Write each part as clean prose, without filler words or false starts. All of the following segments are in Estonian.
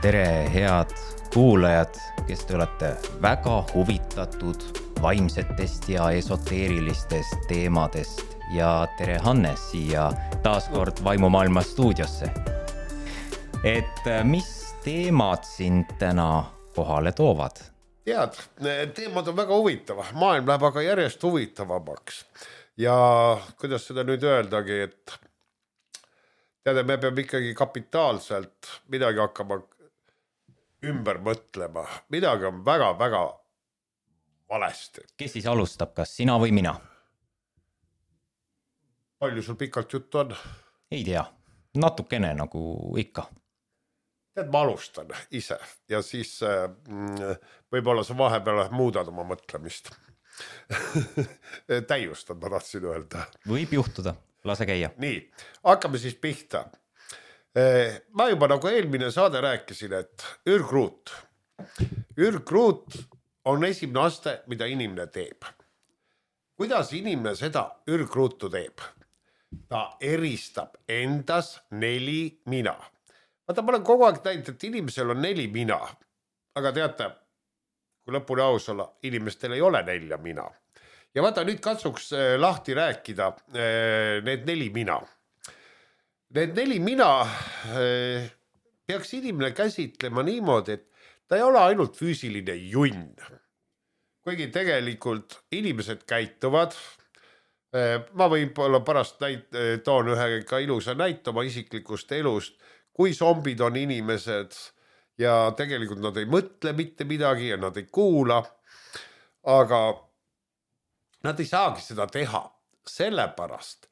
Tere, head kuulajad, kes te olete väga huvitatud vaimsetest ja esoteerilistest teemadest ja tere Hannes siia taaskord Vaimumaailma stuudiosse. Et mis teemad sind täna kohale toovad? Tead, teemad on väga huvitava. Maailm läheb aga järjest huvitavamaks. Ja kuidas seda nüüd öeldagi, et teada, me peame ikkagi kapitaalselt midagi hakkama ümber mõtlema. Midagi on väga-väga valesti. Kes siis alustab, kas sina või mina? Palju sul pikalt juttu on? Ei tea, natukene nagu ikka. Tead, ma alustan ise ja siis võib-olla sa vahepeal muudad oma mõtlemist. Täiustad, ma tahtsin öelda. Võib juhtuda, lase käia. Nii, hakkame siis pihta. Ma juba nagu eelmine saade rääkisin, et ürgruut. Ürgruut on esimene aste, mida inimene teeb. Kuidas inimene seda ürgruutu teeb? Ta eristab endas 4 mina. Vaata, ma olen kogu aeg näinud, et inimesel on 4 mina. Aga teate, kui lõpuni aus olla, inimestel ei ole 4 mina. Ja vaata, nüüd katsuks lahti rääkida need 4 mina. Need 4 mina peaks inimene käsitlema niimoodi, et ta ei ole ainult füüsiline junn. Kuigi tegelikult inimesed käituvad. Ma võib-olla pärast toon ühe ka ilusa näite oma isiklikust elust, kui zombid on inimesed ja tegelikult nad ei mõtle mitte midagi ja nad ei kuula, aga nad ei saagi seda teha sellepärast,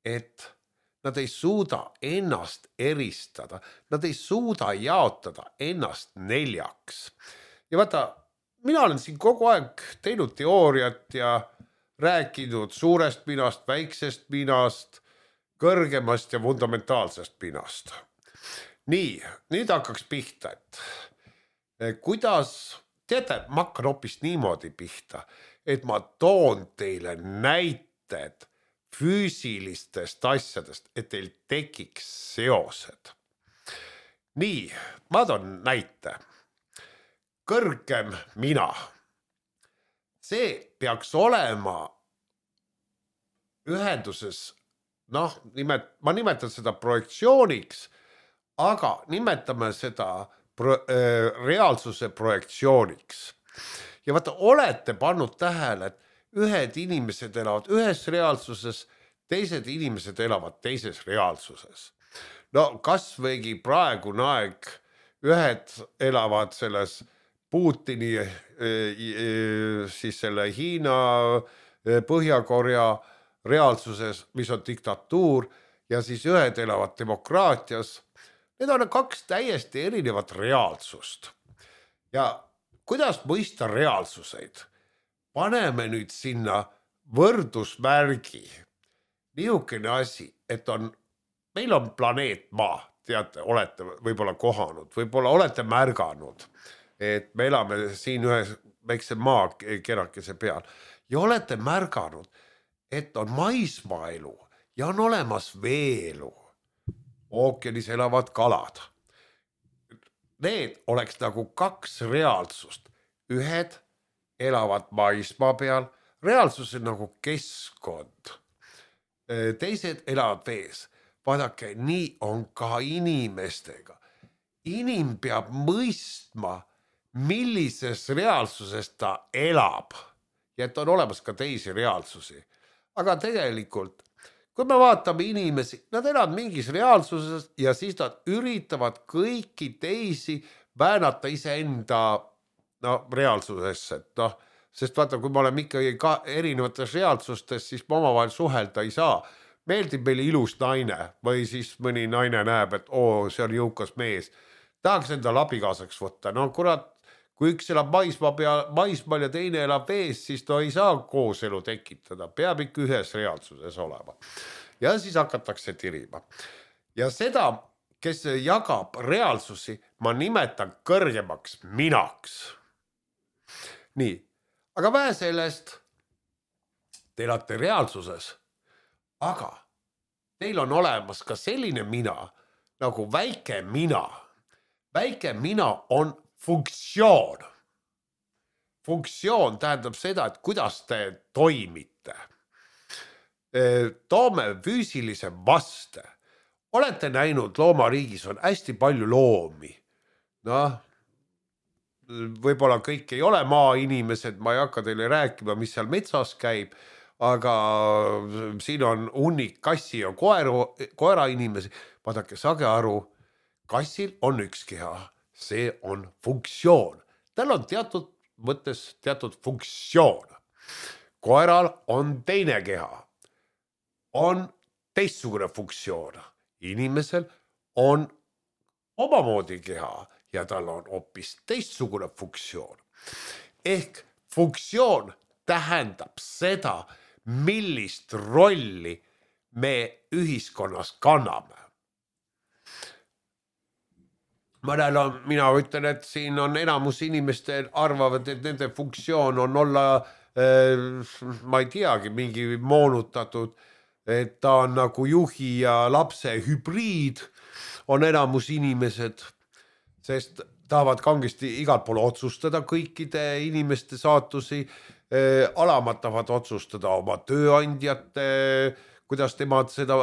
et nad ei suuda ennast eristada, nad ei suuda jaotada ennast 4. Ja vaata, mina olen siin kogu aeg teinud teooriat ja rääkinud suurest minast, väiksest minast, kõrgemast ja fundamentaalsest minast. Nii, nüüd hakkaks pihta, et kuidas, teate, ma hakkan hoopis niimoodi pihta, et ma toon teile näited füüsilistest asjadest, et teil tekiks seosed. Nii, ma toon näite. Kõrgem mina. See peaks olema ühenduses, ma nimetan seda projektsiooniks, aga nimetame seda reaalsuse projektsiooniks. Ja vaata, olete pannud tähele, et ühed inimesed elavad ühes reaalsuses, teised inimesed elavad teises reaalsuses. No kas võigi praegune aeg, ühed elavad selles Putini, siis selle Hiina, Põhja-Korea reaalsuses, mis on diktatuur, ja siis ühed elavad demokraatias. Need on 2 täiesti erinevat reaalsust. Ja kuidas mõista reaalsuseid? Paneme nüüd sinna võrdusmärgi. Niisugune asi, et meil on planeet Maa, teate, olete võib-olla kohanud, võib-olla olete märganud, et me elame siin ühe väikse maakerakese peal ja olete märganud, et on maismaaelu ja on olemas veelu. Ookeanis elavad kalad. Need oleks nagu 2 reaalsust. Ühed elavad maismaa peal, reaalsus on nagu keskkond. Teised elavad vees. Vaadake, nii on ka inimestega. Inim peab mõistma, millises reaalsuses ta elab. Ja et on olemas ka teisi reaalsusi. Aga tegelikult kui me vaatame inimesi, nad elavad mingis reaalsuses ja siis nad üritavad kõiki teisi väänata iseenda reaalsusesse. Sest vaata, kui me oleme ikkagi erinevates reaalsustes, siis me omavahel suhelda ei saa. Meeldib meile ilus naine või siis mõni naine näeb, et see on jõukas mees. Tahaks enda abikaasaks võtta. No kurat, kui üks elab maismaal ja teine elab vees, siis ta ei saa kooselu tekitada. Peab ikka ühes reaalsuses olema. Ja siis hakatakse tirima. Ja seda, kes jagab reaalsusi, ma nimetan kõrgemaks minaks. Nii, aga vähe sellest, te elate reaalsuses, aga teil on olemas ka selline mina, nagu väike mina. väike mina on funktsioon. Funktsioon tähendab seda, et kuidas te toimite. Toome füüsilise vaste. Olete näinud, loomariigis on hästi palju loomi. Võib-olla kõik ei ole maainimesed, ma ei hakka teile rääkima, mis seal metsas käib, aga siin on hunnik kassi ja koera inimesi. Vaadake, saage aru, kassil on üks keha, see on funktsioon. Tal on teatud mõttes teatud funktsioon. Koeral on teine keha, on teistsugune funktsioon. Inimesel on omamoodi keha ja tal on hoopis teistsugune funktsioon. Ehk funktsioon tähendab seda, millist rolli me ühiskonnas kanname. Mina ütlen, et siin on enamus inimestel arvavad, et nende funktsioon on olla, ma ei teagi, mingi moonutatud, et ta on nagu juhi ja lapse hübriid, on enamus inimesed, sest tahavad kangesti igalt pool otsustada kõikide inimeste saatusi, alamad tahavad otsustada oma tööandjate, kuidas temad seda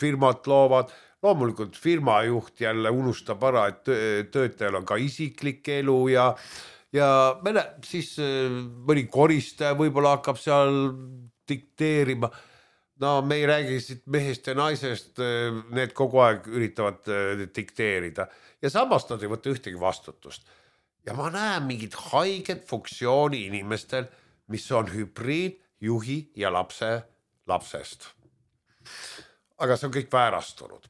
firmat loovad. Loomulikult firmajuht jälle unustab ära, et töötajal on ka isiklik elu ja siis mõni koristaja võib-olla hakkab seal dikteerima. No me ei räägi siit mehest ja naisest, need kogu aeg üritavad dikteerida ja samas nad ei võta ühtegi vastutust. Ja ma näen mingid haiget funktsiooni inimestel, mis on hübriid juhi ja lapsest. Aga see on kõik väärastunud.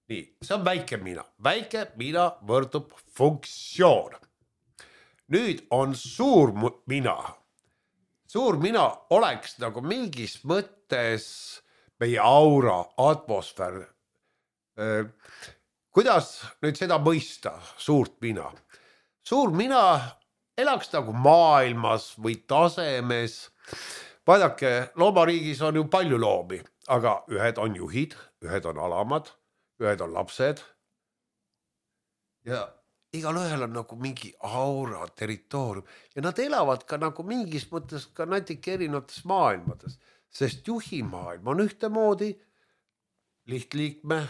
Nii, see on väike mina. Väike mina võrdub funktsioon. Nüüd on suur mina. Suur mina oleks nagu mingis mõttes meie aura, atmosfäär. Kuidas nüüd seda mõista, suurt mina? Suur mina elaks nagu maailmas või tasemes. Vaadake, loomariigis on ju palju loomi, aga ühed on juhid, ühed on alamad, ühed on lapsed ja igal ühel on nagu mingi aura, territoorium ja nad elavad ka nagu mingis mõttes ka natuke erinevates maailmades, sest juhi maailm on ühtemoodi, lihtliikme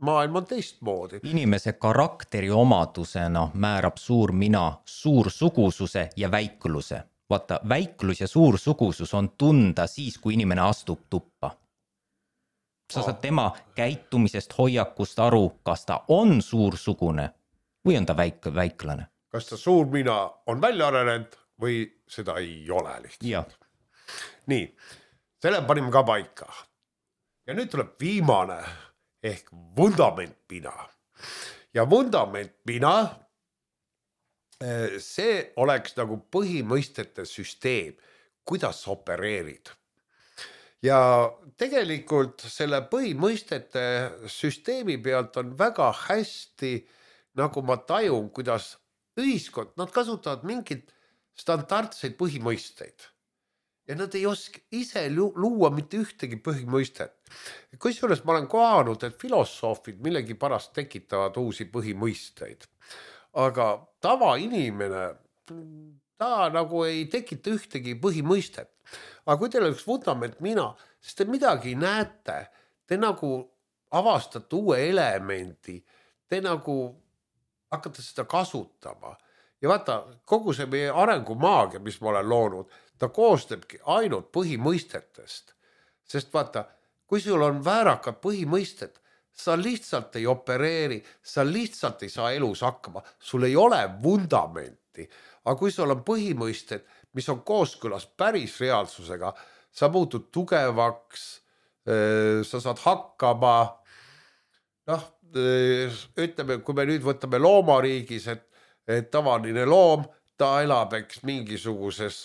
maailm on teistmoodi. Inimese karakteri omadusena määrab suur mina suursugususe ja väikluse. Vaata, väiklus ja suursugusus on tunda siis, kui inimene astub tuppa. Sa saad tema käitumisest, hoiakust aru, kas ta on suursugune või on ta väiklane. Kas ta suur mina on välja arenenud või seda ei ole lihtsalt. Ja. Nii, selle panime ka paika. Ja nüüd tuleb viimane ehk vundament mina. Ja vundament mina, see oleks nagu põhimõistete süsteem, kuidas opereerid. Ja tegelikult selle põhimõistete süsteemi pealt on väga hästi, nagu ma tajun, kuidas ühiskond, nad kasutavad mingid standardseid põhimõisteid. Ja nad ei oska ise luua mitte ühtegi põhimõistet. Kusjuures ma olen kohanud, et filosoofid millegi pärast tekitavad uusi põhimõisteid. Aga tavainimene, ta nagu ei tekita ühtegi põhimõistet. Aga kui teil oleks vundament mina, siis te midagi näete, te nagu avastate uue elemendi, te nagu hakkate seda kasutama. Ja vaata, kogu see meie arengumaagia, mis ma olen loonud, ta koostabki ainult põhimõistetest. Sest vaata, kui sul on väärakad põhimõisted, sa lihtsalt ei opereeri, sa lihtsalt ei saa elus hakkama, sul ei ole vundamenti. Aga kui sul on põhimõisted, mis on kooskõlas päris reaalsusega, sa muutud tugevaks, sa saad hakkama, ütleme, kui me nüüd võtame loomariigis, et tavaline loom, ta elab mingisuguses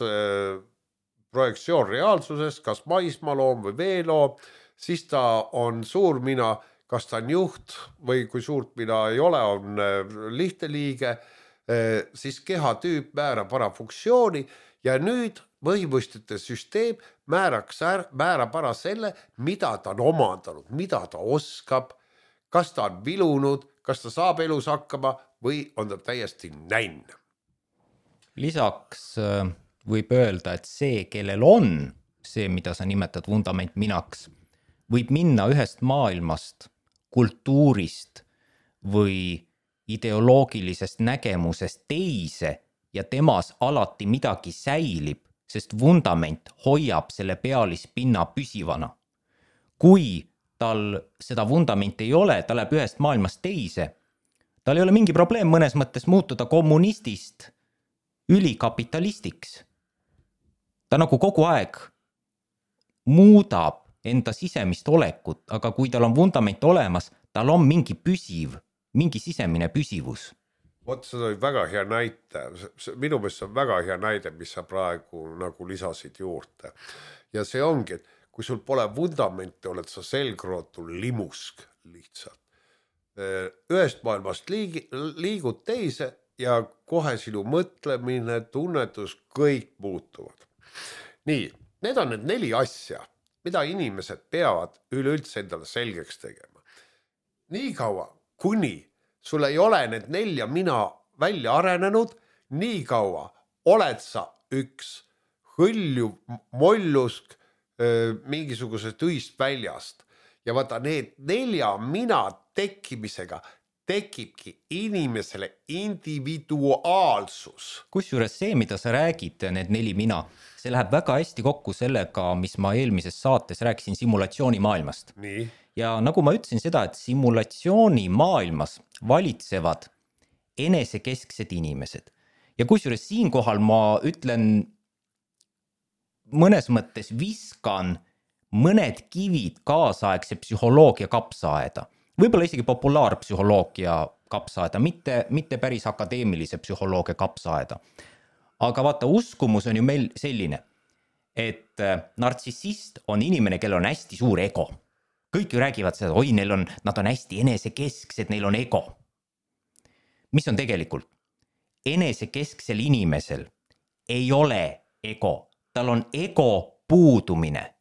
projektsioon reaalsuses, kas maismaaloom või veeloom, siis ta on suur mina, kas ta on juht või kui suurt mina ei ole, on lihtne liige, siis kehatüüp määrab ära funktsiooni ja nüüd põhimõistete süsteem määrab ära selle, mida ta on omandanud, mida ta oskab, kas ta on vilunud, kas ta saab elus hakkama või on ta täiesti nänn. Lisaks võib öelda, et see, kellel on see, mida sa nimetad vundament minaks, võib minna ühest maailmast, kultuurist või ideoloogilisest nägemusest teise ja temas alati midagi säilib, sest vundament hoiab selle pealispinna püsivana. Kui tal seda vundamenti ei ole, ta läheb ühest maailmast teise, tal ei ole mingi probleem mõnes mõttes muutuda kommunistist ülikapitalistiks. Ta nagu kogu aeg muudab enda sisemist olekut, aga kui tal on vundament olemas, tal on mingi püsiv, mingi sisemine püsivus. Vot see oli väga hea näite, minu meelest see on väga hea näide, mis sa praegu nagu lisasid juurde. Ja see ongi, et kui sul pole vundamenti, oled sa selgrootu limusk lihtsalt. Ühest maailmast liigud teise ja kohe sinu mõtlemine, tunnetus, kõik muutuvad. Nii, need on need 4 asja, mida inimesed peavad üleüldse endale selgeks tegema. Nii kaua, kuni sul ei ole need 4 mina välja arenenud, nii kaua oled sa üks hõljuv mollusk mingisugusest ühist väljast. Ja vaata, need 4 mina tekkimisega tekibki inimesele individuaalsus. Kusjuures see, mida sa räägid, need 4 mina, see läheb väga hästi kokku sellega, mis ma eelmises saates rääkisin simulatsiooni maailmast. Nii. Ja nagu ma ütlesin seda, et simulatsiooni maailmas valitsevad enesekesksed inimesed. Ja kusjuures siinkohal ma ütlen, mõnes mõttes viskan mõned kivid kaasaegse psühholoogia kapsaaeda. Võib-olla isegi populaarpsühholoogia kapsaaeda, mitte päris akadeemilise psühholoogia kapsaaeda. Aga vaata, uskumus on ju meil selline, et nartsissist on inimene, kellel on hästi suur ego. Kõik ju räägivad seda, oi, nad on hästi enesekesksed, neil on ego. Mis on tegelikult? Enesekesksel inimesel ei ole ego, tal on ego puudumine.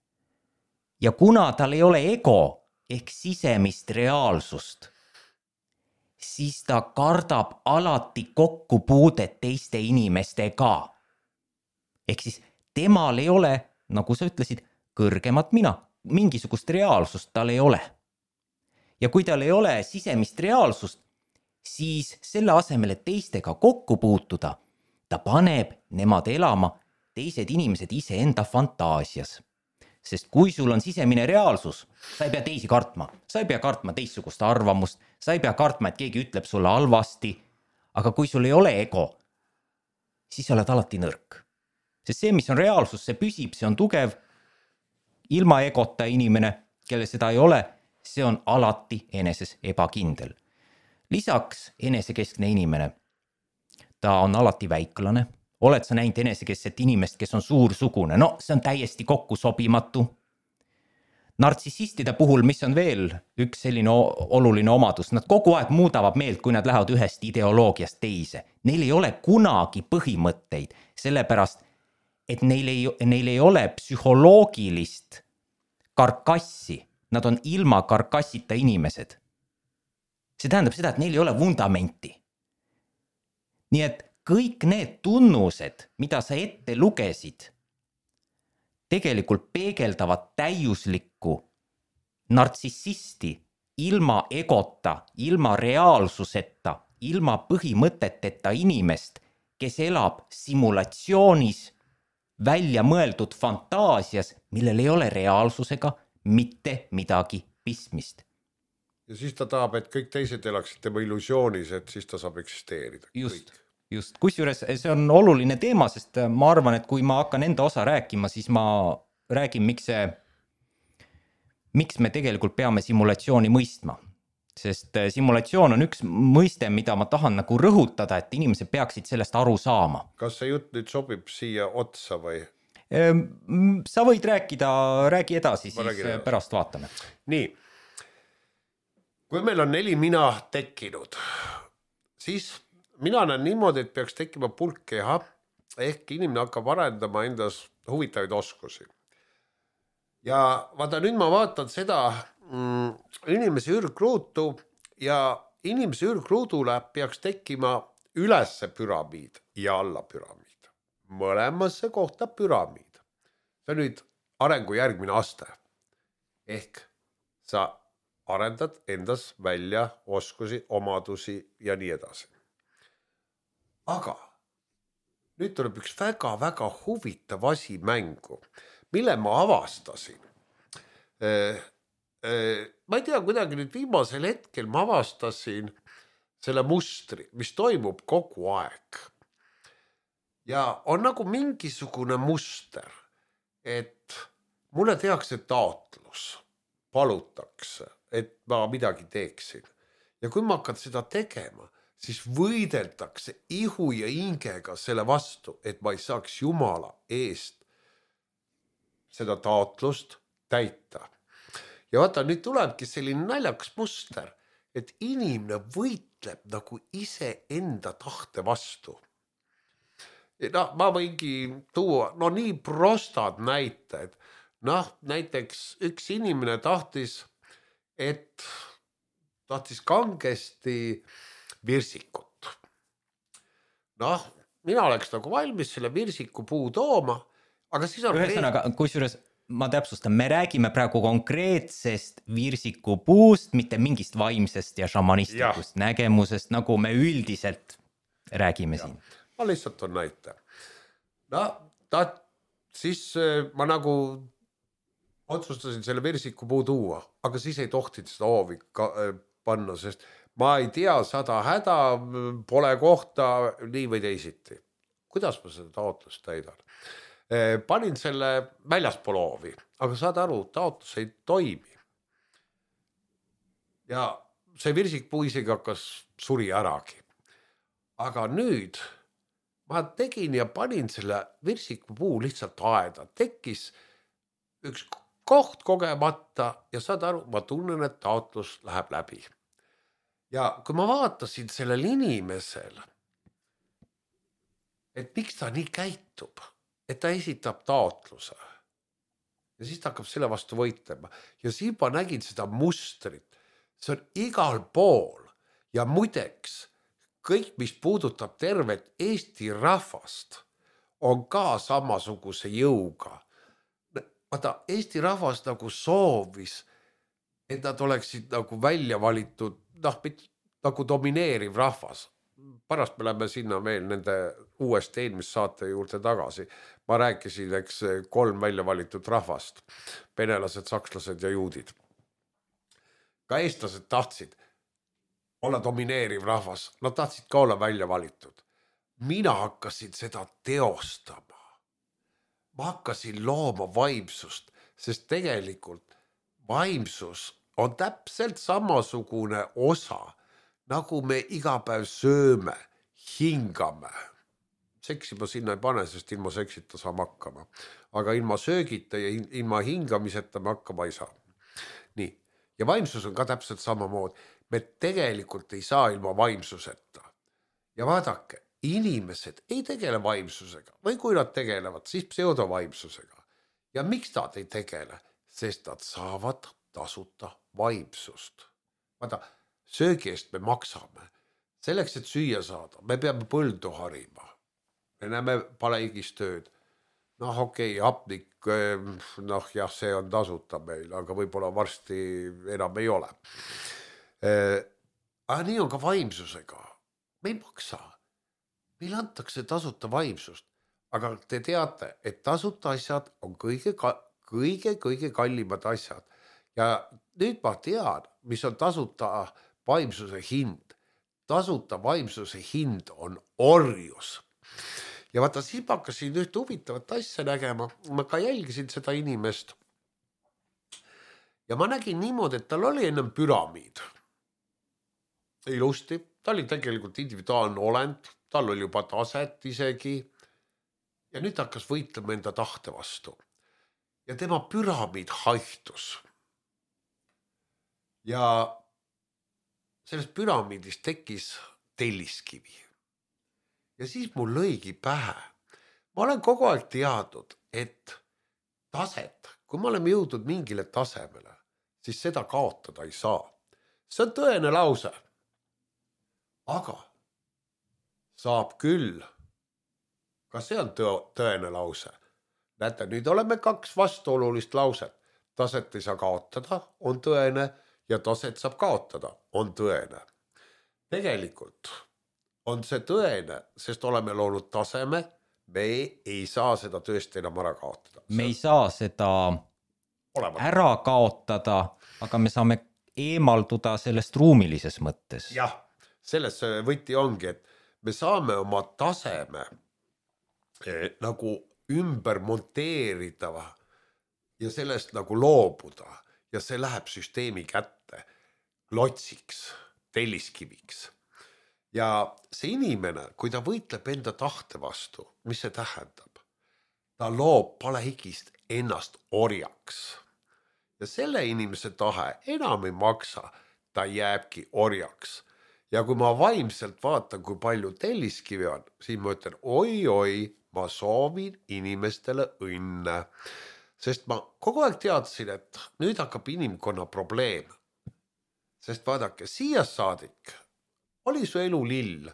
Ja kuna tal ei ole ego ehk sisemist reaalsust, siis ta kardab alati kokkupuudet teiste inimestega. Ehk siis temal ei ole, nagu sa ütlesid, kõrgemat mina. Mingisugust reaalsust tal ei ole. Ja kui tal ei ole sisemist reaalsust, siis selle asemel, et teistega kokku puutuda, ta paneb nemad elama teised inimesed iseenda fantaasias. Sest kui sul on sisemine reaalsus, sa ei pea teisi kartma. Sa ei pea kartma teistsugust arvamust, sa ei pea kartma, et keegi ütleb sulle halvasti. Aga kui sul ei ole ego, siis sa oled alati nõrk. Sest see, mis on reaalsus, see püsib, see on tugev. Ilma egota inimene, kelle seda ei ole, see on alati eneses ebakindel. Lisaks enesekeskne inimene, ta on alati väiklane. Oled sa näinud enesekeskset inimest, kes on suursugune? No, see on täiesti kokku sobimatu. Nartsissistide puhul, mis on veel üks selline oluline omadus, nad kogu aeg muudavad meelt, kui nad lähevad ühest ideoloogiast teise. Neil ei ole kunagi põhimõtteid, sellepärast, et neil ei ole psühholoogilist karkassi. Nad on ilma karkassita inimesed. See tähendab seda, et neil ei ole vundamenti. Nii et kõik need tunnused, mida sa ette lugesid, tegelikult peegeldavad täiuslikku nartsissisti ilma egota, ilma reaalsuseta, ilma põhimõteteta inimest, kes elab simulatsioonis, välja mõeldud fantaasias, millel ei ole reaalsusega mitte midagi pistmist. Ja siis ta tahab, et kõik teised elaksid tema illusioonis, et siis ta saab eksisteerida. Just. Kusjuures see on oluline teema, sest ma arvan, et kui ma hakkan enda osa rääkima, siis ma räägin, miks me tegelikult peame simulatsiooni mõistma. Sest simulatsioon on üks mõiste, mida ma tahan nagu rõhutada, et inimesed peaksid sellest aru saama. Kas see jutt nüüd sobib siia otsa või? Sa võid räägi edasi, siis pärast vaatame. Nii, kui meil on 4 mina tekkinud, siis mina näen niimoodi, et peaks tekkima pulk keha, ehk inimene hakkab arendama endas huvitavaid oskusi. Ja vaata, nüüd ma vaatan seda inimese ürgruutu ja inimese ürgruudule peaks tekkima ülesse püramiid ja alla püramiid. Mõlemasse kohta püramiid. See on nüüd arengu järgmine aste. Ehk sa arendad endas välja oskusi, omadusi ja nii edasi. Aga nüüd tuleb üks väga-väga huvitav asi mängu, mille ma avastasin. Ma ei tea, kuidagi nüüd viimasel hetkel ma avastasin selle mustri, mis toimub kogu aeg. Ja on nagu mingisugune muster, et mulle tehakse taotlus, palutakse, et ma midagi teeksin. Ja kui ma hakkan seda tegema, siis võideldakse ihu ja hingega selle vastu, et ma ei saaks Jumala eest seda taotlust täita. Ja vaata, nüüd tulebki selline naljakas muster, et inimene võitleb nagu ise enda tahte vastu. No, ma võingi tuua nii prostad näited. Näiteks üks inimene tahtis kangesti virsikut. Mina oleks nagu valmis selle virsiku puu tooma, aga siis on... Ühesõnaga, kusjuures ma täpsustan, me räägime praegu konkreetsest virsiku puust, mitte mingist vaimsest ja šamanistikust nägemusest, nagu me üldiselt räägime siin. Ma lihtsalt on näite. Siis ma nagu otsustasin selle virsiku puu tuua, aga siis ei tohtinud seda hoovi panna, sest ma ei tea, 100 häda, pole kohta, nii või teisiti. Kuidas ma seda taotlust täidan? Panin selle väljaspool hoovi, aga saad aru, taotlus ei toimi. Ja see virsikpuu isegi hakkas suri äragi. Aga nüüd ma tegin ja panin selle virsikpuu lihtsalt aeda. Tekkis üks koht kogemata ja saad aru, ma tunnen, et taotlus läheb läbi. Ja kui ma vaatasin sellel inimesel, et miks ta nii käitub, et ta esitab taotluse ja siis ta hakkab selle vastu võitlema ja siin ma nägin seda mustrit, see on igal pool ja muideks kõik, mis puudutab tervet Eesti rahvast, on ka samasuguse jõuga. Vaata, Eesti rahvas nagu soovis, et nad oleksid nagu välja valitud, nagu domineeriv rahvas. Pärast me läheme sinna veel nende uuesti eelmist saate juurde tagasi. Ma rääkisin, 3 välja valitud rahvast, venelased, sakslased ja juudid. Ka eestlased tahtsid olla domineeriv rahvas, nad tahtsid ka olla välja valitud. Mina hakkasin seda teostama. Ma hakkasin looma vaimsust, sest tegelikult vaimsus on täpselt samasugune osa, nagu me iga päev sööme, hingame. Seksi ma sinna ei pane, sest ilma seksita saame hakkama. Aga ilma söögita ja ilma hingamiseta me hakkama ei saa. Nii. Ja vaimsus on ka täpselt samamoodi. Me tegelikult ei saa ilma vaimsuseta. Ja vaadake, inimesed ei tegele vaimsusega või kui nad tegelevad, siis pseudovaimsusega. Ja miks nad ei tegele? Sest nad saavad tasuta vaimsust. Vaata, söögi eest me maksame. Selleks, et süüa saada, me peame põldu harima. Me näeme paleigis tööd. Hapnik, see on tasuta meil, aga võib-olla varsti enam ei ole. Aga nii on ka vaimsusega. Me ei maksa. Meil antakse tasuta vaimsust, aga te teate, et tasuta asjad on kõige kallimad asjad. Ja nüüd ma tean, mis on tasuta vaimsuse hind. Tasuta vaimsuse hind on orjus. Ja vaata, siis ma hakkasin üht huvitavat asja nägema. Ma ka jälgisin seda inimest. Ja ma nägin niimoodi, et tal oli ennem püramiid. Ilusti. Ta oli tegelikult individuaalne olend. Tal oli juba taset isegi. Ja nüüd hakkas võitlema enda tahte vastu. Ja tema püramiid haihtus. Ja sellest püramiidist tekkis telliskivi. Ja siis mul lõigi pähe. Ma olen kogu aeg teadnud, et taset, kui me oleme jõudnud mingile tasemele, siis seda kaotada ei saa. See on tõene lause. aga saab küll. Ka see on tõene lause. Näete, nüüd oleme 2 vastuolulist lauset. Taset ei saa kaotada, on tõene, ja taset saab kaotada, on tõene. Tegelikult on see tõene, sest oleme loonud taseme, me ei saa seda tõesti enam ära kaotada. Me ei saa seda ära kaotada, aga me saame eemalduda sellest ruumilises mõttes. Jah, selles võti ongi, et me saame oma taseme nagu ümber monteerida ja sellest nagu loobuda ja see läheb süsteemi kätte klotsiks, telliskiviks. Ja see inimene, kui ta võitleb enda tahte vastu, mis see tähendab? Ta loob palehigist ennast orjaks. Ja selle inimese tahe enam ei maksa, ta jääbki orjaks. Ja kui ma vaimselt vaatan, kui palju telliskivi on, siis ma ütlen, oi, ma soovin inimestele õnne. Sest ma kogu aeg teadsin, et nüüd hakkab inimkonna probleem. Sest vaadake, siia saadik oli su elu lill.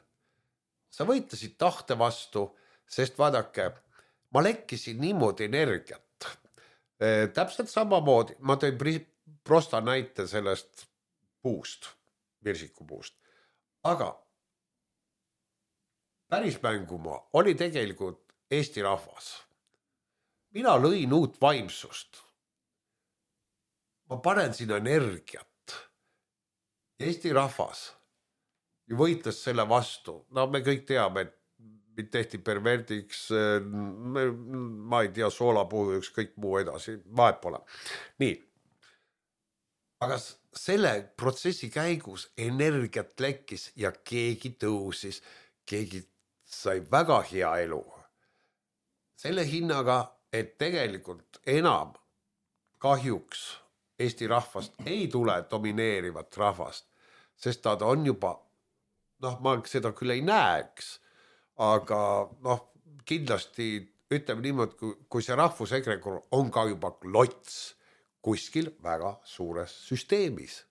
Sa võitlesid tahte vastu, sest vaadake, ma lekkisin niimoodi energiat. Täpselt samamoodi, ma tõin prosta näite sellest puust, virsikupuust. Aga päris mängumaa oli tegelikult Eesti rahvas. Mina lõin uut vaimsust. Ma panen sinna energiat. Eesti rahvas võitles selle vastu. No me kõik teame, et mind tehti perverdiks, ma ei tea, soolapuhu, kõik muu edasi, vahet pole. Nii. Aga selle protsessi käigus energiat lekkis ja keegi tõusis, keegi sai väga hea elu. Selle hinnaga, et tegelikult enam kahjuks Eesti rahvast ei tule domineerivat rahvast, sest ta on juba, ma seda küll ei näeks, aga kindlasti ütleme niimoodi, kui see rahvusegregor on ka juba klots kuskil väga suures süsteemis.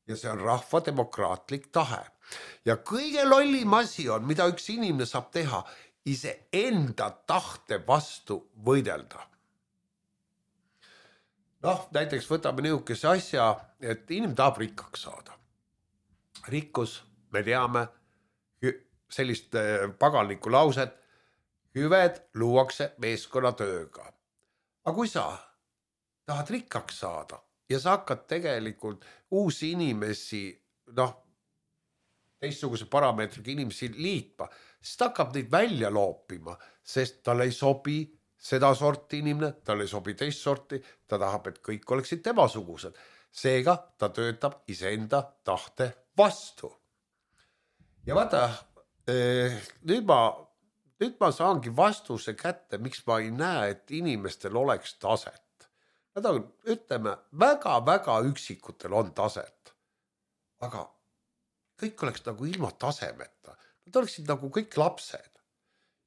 Ja see on rahvademokraatlik tahe. Ja kõige lollim asi on, mida üks inimene saab teha, ise enda tahte vastu võidelda. Näiteks võtame niisuguse asja, et inimene tahab rikkaks saada. Rikkus, me teame, sellist paganlikku lauset, hüved luuakse meeskonnatööga. Aga kui sa tahad rikkaks saada ja sa hakkad tegelikult uusi inimesi, teistsuguse parameetriga inimesi liitma, siis ta hakkab neid välja loopima, sest tal ei sobi seda sorti inimene, tal ei sobi teist sorti, ta tahab, et kõik oleksid temasugused. Seega ta töötab iseenda tahte vastu. Ja vaata, nüüd ma saangi vastuse kätte, miks ma ei näe, et inimestel oleks taset. Nad on, ütleme, väga-väga üksikutel on taset. Aga kõik oleks nagu ilma tasemeta. Nad oleksid nagu kõik lapsed.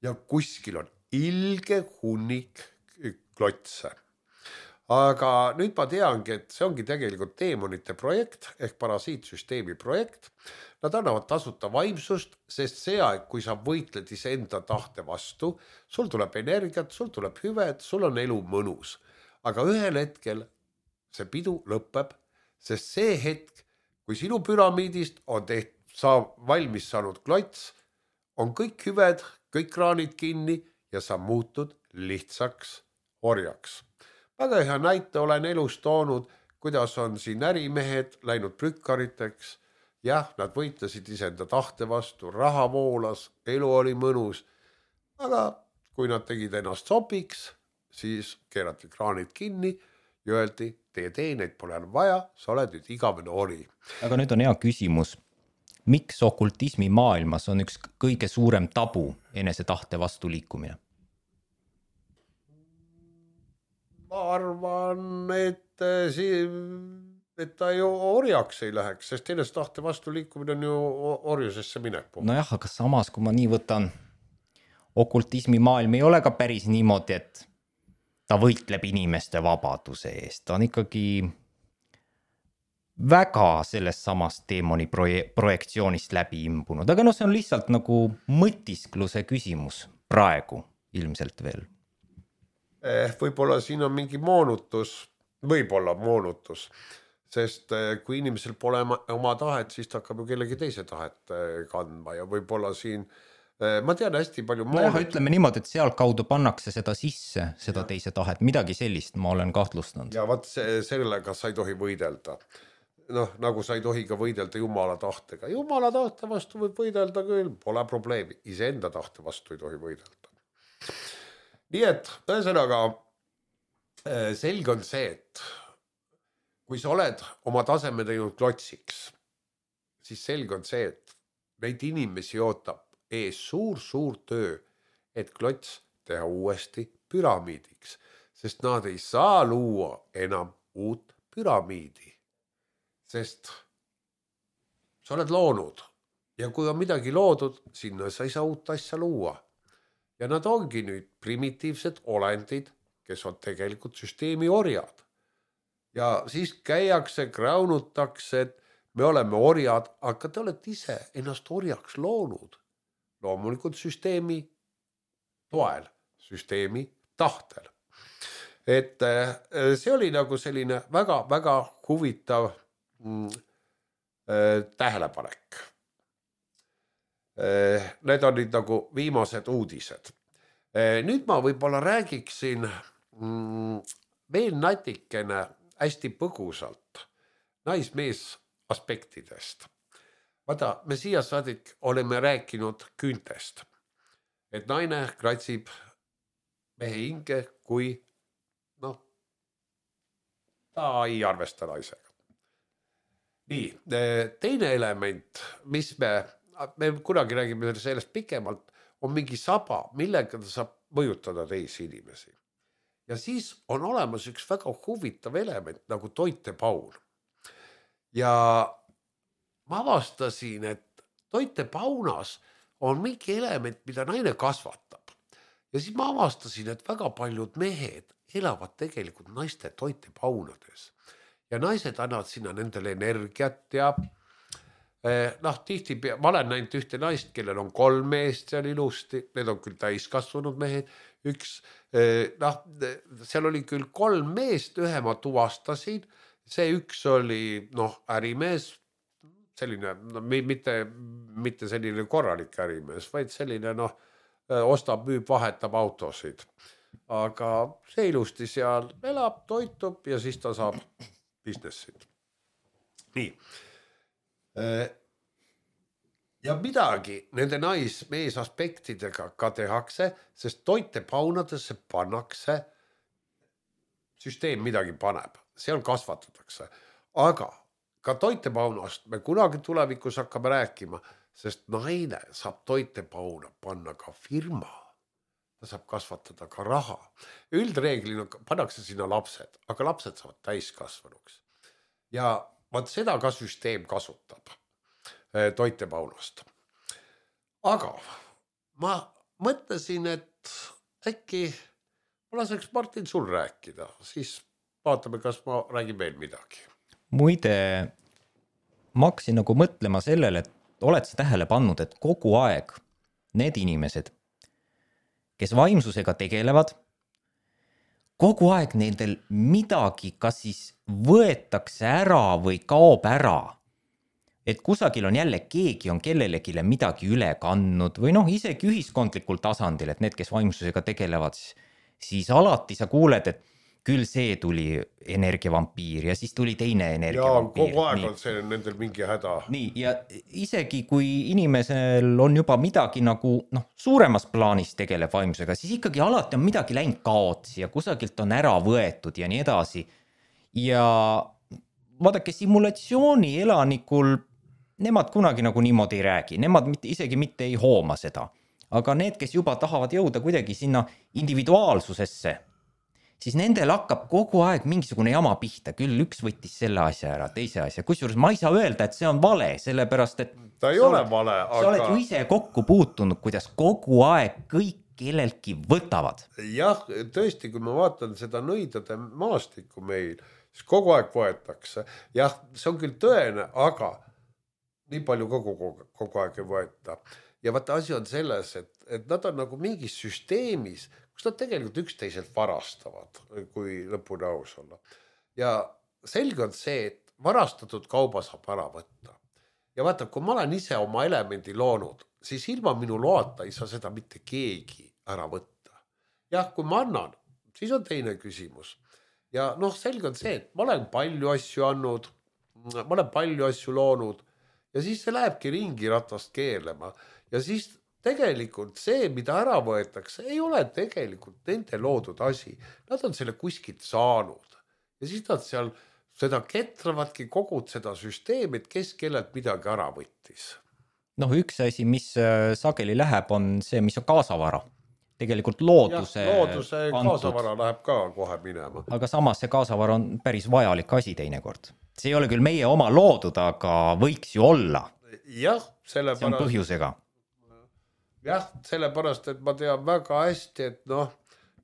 Ja kuskil on ilge hunnik klotse. Aga nüüd ma teangi, et see ongi tegelikult teemonite projekt ehk parasiitsüsteemi projekt. Nad annavad tasuta vaimsust, sest see aeg, kui sa võitled iseenda tahte vastu, sul tuleb energiat, sul tuleb hüved, sul on elu mõnus. Aga ühel hetkel see pidu lõpeb, sest see hetk, kui sinu püramiidist on valmis saanud klots, on kõik hüved, kõik kraanid kinni ja sa muutud lihtsaks orjaks. Väga hea näite olen elus toonud, kuidas on siin ärimehed läinud prükkariteks. Jah, nad võitlesid iseenda tahte vastu, raha voolas, elu oli mõnus. Aga kui nad tegid ennast sopiks, siis keerati kraanid kinni ja öeldi, teie teeneid pole enam vaja, sa oled nüüd igavene ori. Aga nüüd on hea küsimus. Miks okultismi maailmas on üks kõige suurem tabu enese tahte vastu liikumine? Ma arvan, et ta ju orjaks ei läheks, sest enese tahte vastu liikumine on ju orjusesse minek. Nojah, aga samas, kui ma nii võtan, okultismi maailm ei ole ka päris niimoodi, et ta võitleb inimeste vabaduse eest. Ta on ikkagi väga sellest samast teemoni projektsioonist läbi imbunud, aga see on lihtsalt nagu mõtiskluse küsimus praegu ilmselt veel. Võib-olla siin on mingi moonutus, sest kui inimesel pole oma tahet, siis ta hakkab ju kellegi teise tahet kandma ja võib-olla siin, ma tean hästi palju ütleme niimoodi, et seal kaudu pannakse seda sisse, seda teise tahet, midagi sellist ma olen kahtlustanud. Ja vaat sellega sa ei tohi võidelda. Nagu sa ei tohi ka võidelda Jumala tahtega. Jumala tahte vastu võib võidelda küll, pole probleemi. Iseenda tahte vastu ei tohi võidelda. Nii et ühesõnaga selge on see, et kui sa oled oma taseme teinud klotsiks, siis selge on see, et neid inimesi ootab ees suur töö, et klots teha uuesti püramiidiks, sest nad ei saa luua enam uut püramiidi, sest sa oled loonud ja kui on midagi loodud, sinna sa ei saa uut asja luua. Ja nad ongi nüüd primitiivsed olendid, kes on tegelikult süsteemi orjad. Ja siis käiakse, kraunutakse, et me oleme orjad, aga te olete ise ennast orjaks loonud. Loomulikult süsteemi toel, süsteemi tahtel. Et see oli nagu selline väga huvitav tähelepanek. Need on nüüd nagu viimased uudised. Nüüd ma võib-olla räägiksin veel natikene hästi põgusalt naismees aspektidest. Vaata, me siia saadik oleme rääkinud küüntest, et naine kratsib mehe hinge, kui ta ei arvesta naisega. Nii, teine element, mis me kunagi räägime sellest pikemalt, on mingi saba, millega ta saab mõjutada teisi inimesi. Ja siis on olemas üks väga huvitav element nagu toitepaun. Ja ma avastasin, et toitepaunas on mingi element, mida naine kasvatab. Ja siis ma avastasin, et väga paljud mehed elavad tegelikult naiste toitepaunades. Ja naised annavad sinna nendele energiat ja tihti, ma olen näinud ühte naist, kellel on 3 meest seal ilusti, need on küll täiskasvanud mehed, seal oli küll 3 meest, ühe ma tuvastasin, see üks oli ärimees, selline, mitte selline korralik ärimees, vaid selline ostab, müüb, vahetab autosid. Aga see ilusti seal elab, toitub ja siis ta saab businessid. Nii. Ja midagi nende naismees aspektidega ka tehakse, sest toitepaunadesse pannakse, süsteem midagi paneb, seal kasvatatakse. Aga ka toitepaunast me kunagi tulevikus hakkame rääkima, sest naine saab toitepauna panna ka firma. Ta saab kasvatada ka raha. Üldreeglina pannakse sinna lapsed, aga lapsed saavad täiskasvanuks. Ja vaat seda ka süsteem kasutab toitepaunast. Aga ma mõtlesin, et äkki ma laseks Martin sul rääkida, siis vaatame, kas ma räägin veel midagi. Muide, ma hakkasin nagu mõtlema sellele, et oled sa tähele pannud, et kogu aeg need inimesed, kes vaimsusega tegelevad, kogu aeg nendel midagi kas siis võetakse ära või kaob ära. Et kusagil on jälle keegi on kellelegile midagi üle kandnud või isegi ühiskondlikul tasandil, et need, kes vaimsusega tegelevad, siis alati sa kuuled, et küll see tuli energiavampiir ja siis tuli teine energiavampiir. Ja kogu aeg on see nendel mingi häda. Nii, ja isegi kui inimesel on juba midagi nagu suuremas plaanis tegeleb vaimsusega, siis ikkagi alati on midagi läinud kaotsi ja kusagilt on ära võetud ja nii edasi. Ja vaadake, simulatsiooni elanikul nemad kunagi nagu niimoodi ei räägi, nemad isegi mitte ei hooma seda. Aga need, kes juba tahavad jõuda kuidagi sinna individuaalsusesse, siis nendel hakkab kogu aeg mingisugune jama pihta, küll üks võttis selle asja ära, teise asja. Kusjuures ma ei saa öelda, et see on vale, sellepärast, et ta ei ole vale, aga sa oled ju ise kokku puutunud, kuidas kogu aeg kõik kelleltki võtavad. Jah, tõesti, kui ma vaatan seda nõidade maastikku meil, siis kogu aeg võetakse. Jah, see on küll tõene, aga nii palju kogu aeg ei võeta. Ja vaata asi on selles, et nad on nagu mingis süsteemis, kus nad tegelikult üksteiselt varastavad, kui lõpuni aus olla. Ja selge on see, et varastatud kauba saab ära võtta. Ja vaata, kui ma olen ise oma elemendi loonud, siis ilma minu loata ei saa seda mitte keegi ära võtta. Jah, kui ma annan, siis on teine küsimus. Ja selge on see, et ma olen palju asju andnud, ma olen palju asju loonud ja siis see lähebki ringi ratast keerlema. Ja siis tegelikult see, mida ära võetakse, ei ole tegelikult nende loodud asi. Nad on selle kuskilt saanud ja siis nad seal seda ketravadki kogud seda süsteemi, et kes kellelt midagi ära võttis. Üks asi, mis sageli läheb, on see, mis on kaasavara. Tegelikult looduse kaasavara läheb ka kohe minema. Aga samas see kaasavara on päris vajalik asi teinekord. See ei ole küll meie oma loodud, aga võiks ju olla. Jah, sellepärast. See on põhjusega. Jah, sellepärast, et ma tean väga hästi, et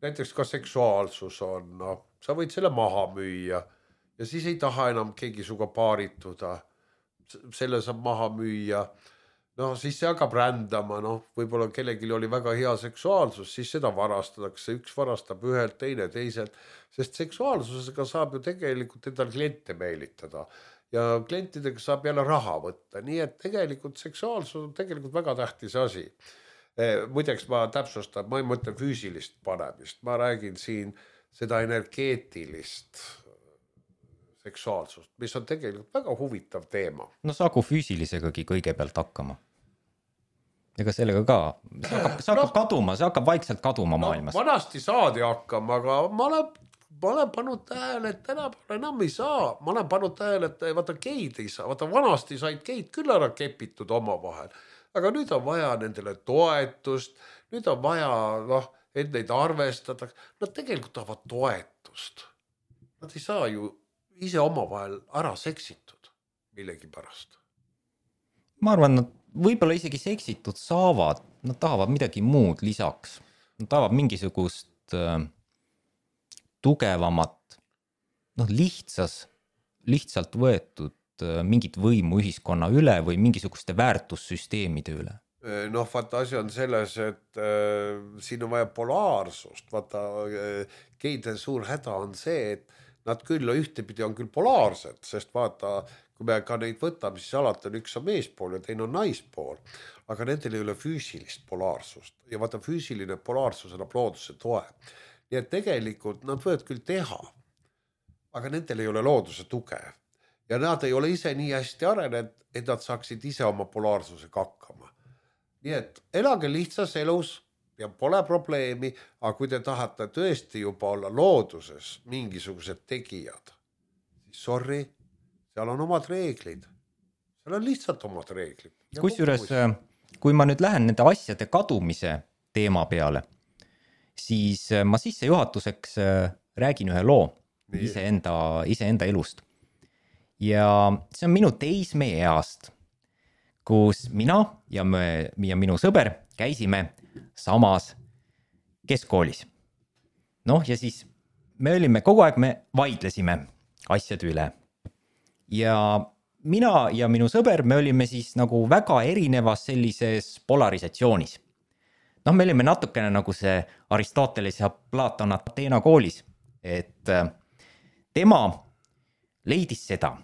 näiteks ka seksuaalsus on, sa võid selle maha müüa ja siis ei taha enam keegi suga paarituda. Selle saab maha müüa. Siis see hakkab rändama, võib-olla kellelgi oli väga hea seksuaalsus, siis seda varastatakse, üks varastab ühelt, teine teiselt, sest seksuaalsusega saab ju tegelikult endal kliente meelitada ja klientidega saab jälle raha võtta, nii et tegelikult seksuaalsus on tegelikult väga tähtis asi. Muideks ma täpsustan, ma ei mõtle füüsilist panemist, ma räägin siin seda energeetilist seksuaalsust, mis on tegelikult väga huvitav teema. Saagu füüsilisegagi kõigepealt hakkama. Ega sellega ka, see hakkab kaduma, see hakkab vaikselt kaduma maailmas. Vanasti saadi hakkama, aga ma olen pannud tähele, et tänapäeval enam ei saa. Ma olen pannud tähele, et vaata geid ei saa. Vaata vanasti said geid küll ära kepitud oma vahel. Aga nüüd on vaja nendele toetust, nüüd on vaja, et neid arvestada. Nad tegelikult tahavad toetust. Nad ei saa ju ise oma vahel ära seksitud millegi pärast. Ma arvan, nad võib-olla isegi seksitud saavad, nad tahavad midagi muud lisaks. Nad tahavad mingisugust tugevamat, lihtsalt võetud mingit võimu ühiskonna üle või mingisuguste väärtussüsteemide üle. Vaata asi on selles, et siin on vaja polaarsust. Vaata, geide suur häda on see, et nad küll ühtepidi on küll polaarsed, sest vaata, kui me ka neid võtame, siis alati on üks on meespool ja teine on naispool, aga nendel ei ole füüsilist polaarsust ja vaata füüsiline polaarsus annab looduse toe. Nii et tegelikult nad võivad küll teha, aga nendel ei ole looduse tuge ja nad ei ole ise nii hästi arenenud, et nad saaksid ise oma polaarsusega hakkama. Nii et elage lihtsas elus ja pole probleemi, aga kui te tahate tõesti juba olla looduses mingisugused tegijad, siis sorry, seal on omad reeglid. Seal on lihtsalt omad reeglid. Kusjuures, kui ma nüüd lähen nende asjade kadumise teema peale, siis ma sissejuhatuseks räägin ühe loo iseenda elust. Ja see on minu teismeeast, kus mina ja minu sõber käisime samas keskkoolis. Ja siis me olime kogu aeg, me vaidlesime asjade üle. Ja mina ja minu sõber, me olime siis nagu väga erinevas sellises polarisatsioonis. Me olime natukene nagu see Aristoteles ja Platon Ateena koolis, et tema leidis seda,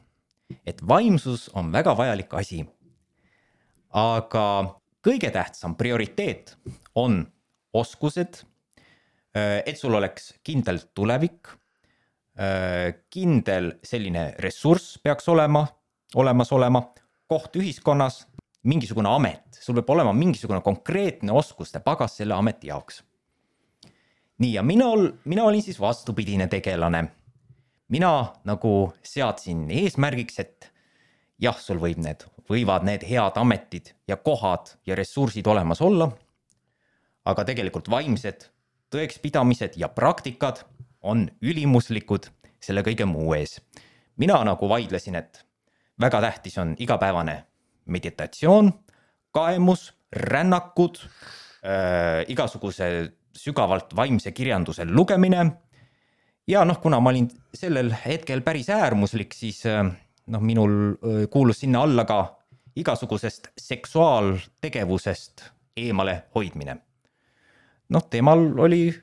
et vaimsus on väga vajalik asi. Aga kõige tähtsam prioriteet on oskused, et sul oleks kindel tulevik, kindel selline ressurss peaks olemas olema, koht ühiskonnas, mingisugune amet, sul peab olema mingisugune konkreetne oskuste pagas selle ameti jaoks. Nii, ja mina olin siis vastupidine tegelane. Mina nagu seadsin eesmärgiks, et jah, sul võivad need head ametid ja kohad ja ressursid olemas olla, aga tegelikult vaimsed tõekspidamised ja praktikad on ülimuslikud selle kõige muu ees. Mina nagu vaidlesin, et väga tähtis on igapäevane meditatsioon, kaemus, rännakud, igasuguse sügavalt vaimse kirjanduse lugemine ja noh, kuna ma olin sellel hetkel päris äärmuslik, siis noh, minul kuulus sinna alla ka igasugusest seksuaaltegevusest eemale hoidmine. Noh, tema ütles,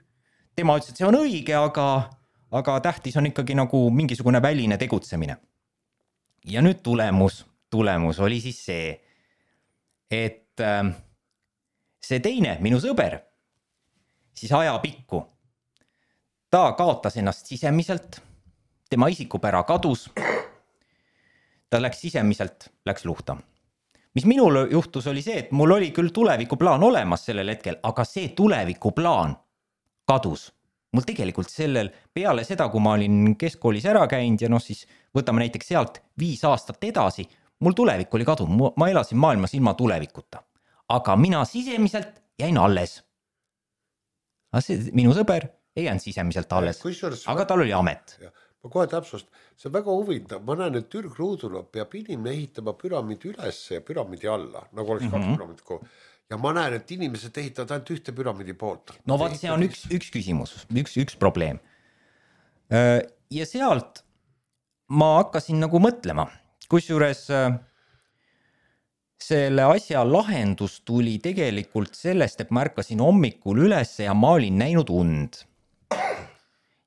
et see on õige, aga tähtis on ikkagi nagu mingisugune väline tegutsemine. Ja nüüd tulemus oli siis see, et see teine, minu sõber, siis ajapikku, ta kaotas ennast sisemiselt, tema isikupära kadus, ta läks sisemiselt, läks luhta. Mis minul juhtus oli see, et mul oli küll tulevikuplaan olemas sellel hetkel, aga see tulevikuplaan kadus. Mul tegelikult peale seda, kui ma olin keskkoolis ära käinud ja noh, siis võtame näiteks sealt 5 aastat edasi, mul tulevik oli kadunud, ma elasin maailmas ilma tulevikuta. Aga mina sisemiselt jäin alles. Minu sõber ei jäänud sisemiselt alles, aga tal oli amet. Ma kohe täpsust, see on väga huvitav, ma näen, et ürgruudul peab inimene ehitama püramiidi üles ja püramiidi alla, nagu oleks 2 püramiidi kogu. Ja ma näen, et inimesed ehitavad ainult ühte püramiidi poolt. No vaat, see on üks küsimus, üks probleem. Ja sealt ma hakkasin nagu mõtlema, kusjuures selle asja lahendus tuli tegelikult sellest, et ma ärkasin hommikul üles ja ma olin näinud und.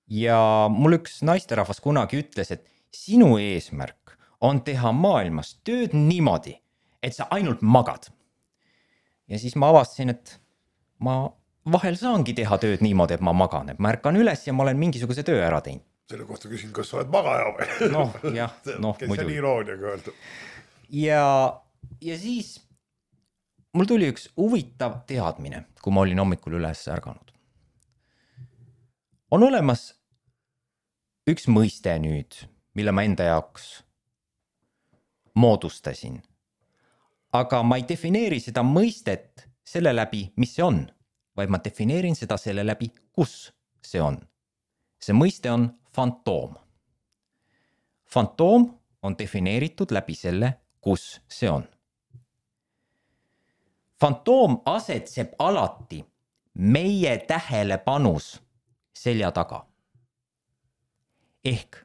Ja mul üks naisterahvas kunagi ütles, et sinu eesmärk on teha maailmas tööd niimoodi, et sa ainult magad. Ja siis ma avastasin, et ma vahel saangi teha tööd niimoodi, et ma magan, et ma ärkan üles ja ma olen mingisuguse töö ära teinud. Selle kohta küsin, kas sa oled magaja või? Noh, jah, kes muidu. on irooniaga öeldud. Ja siis mul tuli üks huvitav teadmine, kui ma olin hommikul üles ärganud. On olemas üks mõiste nüüd, mille ma enda jaoks moodustasin. Aga ma ei defineeri seda mõistet selle läbi, mis see on, vaid ma defineerin seda selle läbi, kus see on. See mõiste on fantoom. Fantoom on defineeritud läbi selle, kus see on. Fantoom asetseb alati meie tähelepanus selja taga. Ehk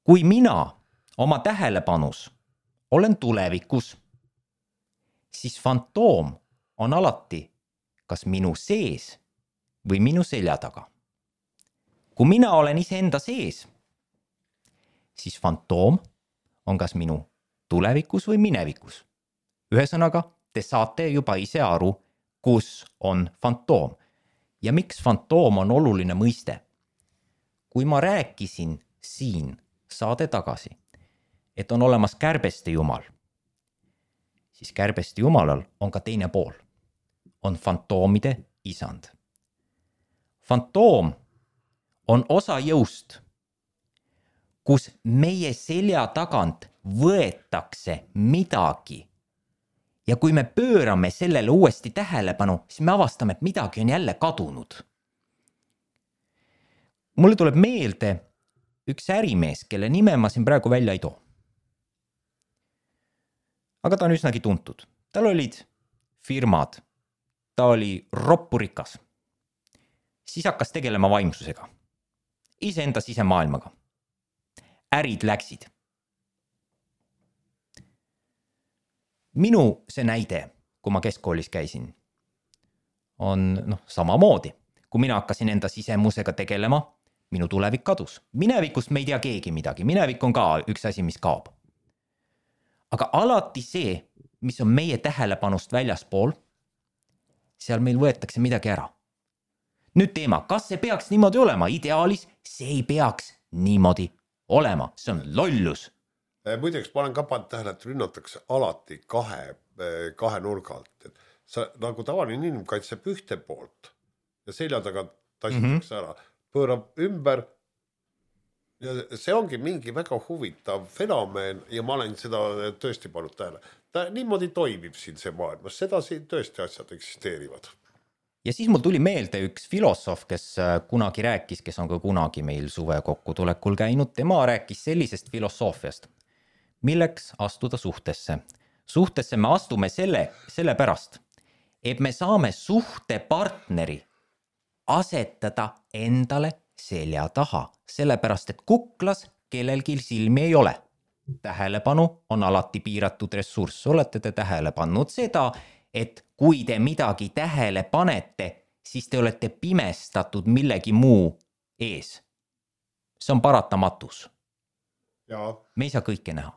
kui mina oma tähelepanus olen tulevikus, siis fantoom on alati kas minu sees või minu selja taga. Kui mina olen iseenda sees, siis fantoom on kas minu tulevikus või minevikus. Ühesõnaga, te saate juba ise aru, kus on fantoom. Ja miks fantoom on oluline mõiste? Kui ma rääkisin siin saade tagasi, et on olemas kärbeste jumal, siis kärbeste jumalal on ka teine pool. On fantoomide isand. Fantoom on osa jõust, kus meie selja tagant võetakse midagi. Ja kui me pöörame sellele uuesti tähelepanu, siis me avastame, et midagi on jälle kadunud. Mulle tuleb meelde üks ärimees, kelle nime ma siin praegu välja ei too. Aga ta on üsnagi tuntud. Tal olid firmad, ta oli roppurikas. Siis hakkas tegelema vaimsusega. Iseenda sisemaailmaga. Ärid läksid. Minu see näide, kui ma keskkoolis käisin, on samamoodi. Kui mina hakkasin enda sisemusega tegelema, minu tulevik kadus. Minevikust me ei tea keegi midagi. Minevik on ka üks asi, mis kaob. Aga alati see, mis on meie tähelepanust väljaspool, seal meil võetakse midagi ära. Nüüd teema, kas see peaks niimoodi olema? Ideaalis see ei peaks niimoodi olema. See on lollus. Muideks, ma olen ka pannud tähele, et rünnatakse alati kahe nurga alt. Et sa, nagu tavaline inimene kaitseb ühte poolt ja selja taga tassitakse ära, pöörab ümber. Ja see ongi mingi väga huvitav fenomen ja ma olen seda tõesti pannud tähele. Ta niimoodi toimib siin see maailmas, seda siin tõesti asjad eksisteerivad. Ja siis mul tuli meelde üks filosoof, kes kunagi rääkis, kes on ka kunagi meil suve kokkutulekul käinud. Tema rääkis sellisest filosoofiast, milleks astuda suhtesse. Suhtesse me astume selle pärast, et me saame suhtepartneri asetada endale selja taha, sellepärast et kuklas kellelgi silmi ei ole. Tähelepanu on alati piiratud ressurss. Olete te tähele pannud seda, et kui te midagi tähele panete, siis te olete pimestatud millegi muu ees. See on paratamatus. Me ei saa kõike näha.